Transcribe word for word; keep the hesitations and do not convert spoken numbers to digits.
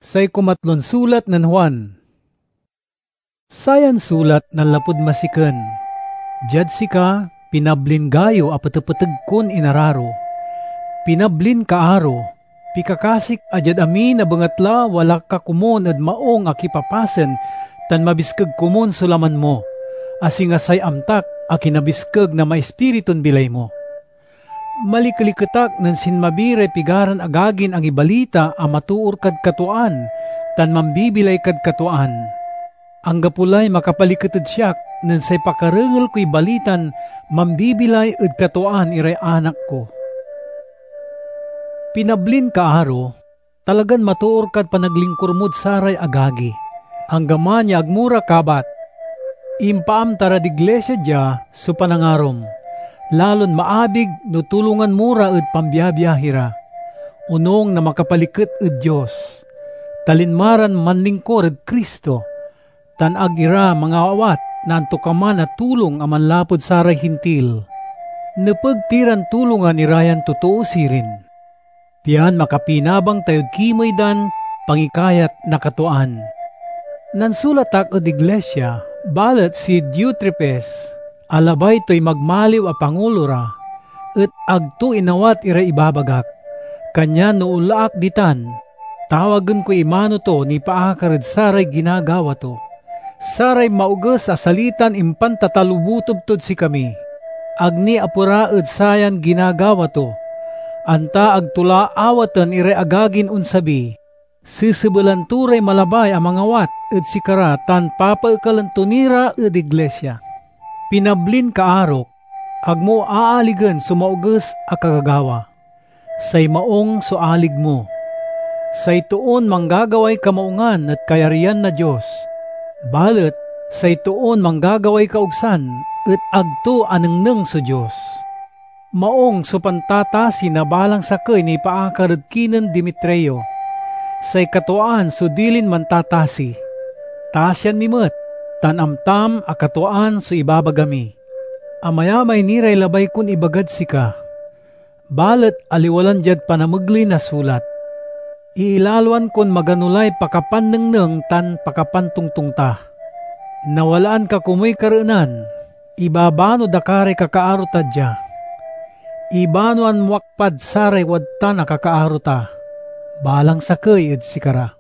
Say kumatlon sulat nen Juan. Sayan sulat nanlapud masiken. Diad sika, pinablin gayo a petepeteg kon inararo. Pinablin kaaro, pikakasik a diad amin a bengatla wala ka komun ed maung a kipapasen tan mabiskeg komun so laman mo, a singa say amtak a kinabiskeg na maispiritun bilay mo. Malikeliket ak nen sinmabi ray pigaran agagin angibalita a matoor kad katuaan tan mambibilay kad katuaan. Anggapo lay makapaliket ed siak nen say pakarengel koy balitan mambibilay ed katuaan iray anak ko. Pinablin kaaro, talagan matoor kad panaglingkur mod saray agagi, anggaman ya agmo ra kabat. Impaamta rad iglisia dia so panangarom, lalon maabig no tulongan mo ra ed pambiabiahi ra, onung na makapaliket ed Dios, ta linma ran manlingkur ed Cristo, tan ag ira mangawat na antokaman a tulong a manlapud saray Hintil. Nepeg ti ran tulongan ira yan totoo sirin, pian makapinabang tayod kimey dan pangikayat na katuaan. Nansulat ak ed iglisia, balet si Diotrefes, a labay toy magmaliw a pangulo ra, et ag to inawat iray ibabagak. Kanyan no onla ak ditan, tawagen koy imano to nipaakar ed saray ginagawa to. Saray maoges a salitan impantatalobutob tod sikami, ag ni apera ed sayan ginagawa to, anta ag to la awaten iray agagin onsabi. Sesebelan to ray malabay a mangawat ed sikara tan papaekalen to ni ra ed iglisia. Pinablin kaarok, agmo aaligen so maoges a kagagawa. Say maung so alig mo. Say toon manggagaway kamaungan et kayaryan na Dios, balet say toon manggagaway kaogsan et ag to anengneng so Dios. Maung so pantatasi na balang sakey nipaakar ed kinen Demetrio. Say katuaan so dilin mantatasi. Tasian mi met, tan amtam a katuaan so ibabaga mi. Amayamay ni ray labay kon ibagad sika, balet aliwa lan diad panamegley na sulat. Iilaloan kon magano lay pakapannengneng tan pakapantongtong ta. Nawalaan ka komuy kareenan, ibabano da ka ray kakaaro ta dia. Ibanoan mo ak pad saray wadtan a kakaaro ta, balang sakey ed sikara.